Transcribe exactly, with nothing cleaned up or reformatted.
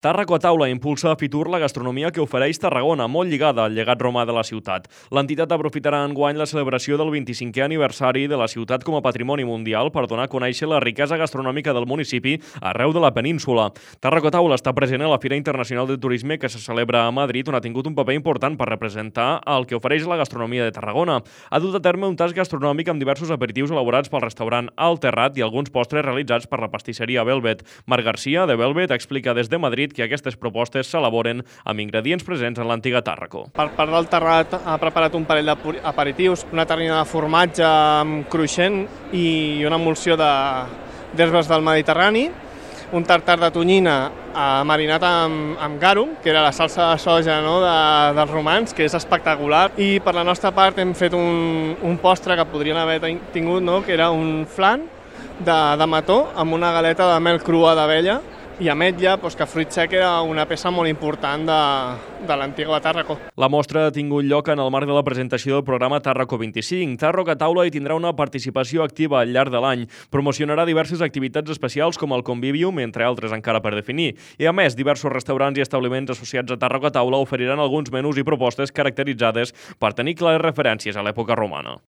Tàrraco a taula impulsa a Fitur la gastronomia que ofereix Tarragona, molt lligada al llegat romà de la ciutat. L'entitat aprofitarà enguany la celebració del vint-i-cinquè aniversari de la ciutat com a patrimoni mundial per donar a conèixer la riquesa gastronòmica del municipi arreu de la península. Tàrraco a taula està present a la Fira Internacional de Turisme que se celebra a Madrid, on ha tingut un paper important per representar el que ofereix la gastronomia de Tarragona. Ha dut a terme un tast gastronòmic amb diversos aperitius elaborats pel restaurant Al Terrat i alguns postres realitzats per la pastisseria Velvet. Marc Garcia, de Velvet, explica des de Madrid que aquestes propostes s'elaboren amb ingredients presents en l'antiga Tàrraco. Per part del Terrat ha preparat un parell d'aperitius, una terrina de formatge amb cruixent i una emulsió d'herbes del Mediterrani, un tartar de tonyina eh, marinat amb, amb garum, que era la salsa de soja, no, de, dels romans, que és espectacular. I per la nostra part hem fet un, un postre que podrien haver tingut, no, que era un flan de, de mató amb una galeta de mel crua d'abella i ametlla, doncs, que fruit sec era una peça molt important de, de l'antiga Tàrraco. La mostra ha tingut lloc en el marc de la presentació del programa Tàrraco vint-i-cinc. Tàrraco a taula hi tindrà una participació activa al llarg de l'any. Promocionarà diverses activitats especials com el Convivium, entre altres encara per definir. I a més, diversos restaurants i establiments associats a Tàrraco a taula oferiran alguns menús i propostes caracteritzades per tenir clares referències a l'època romana.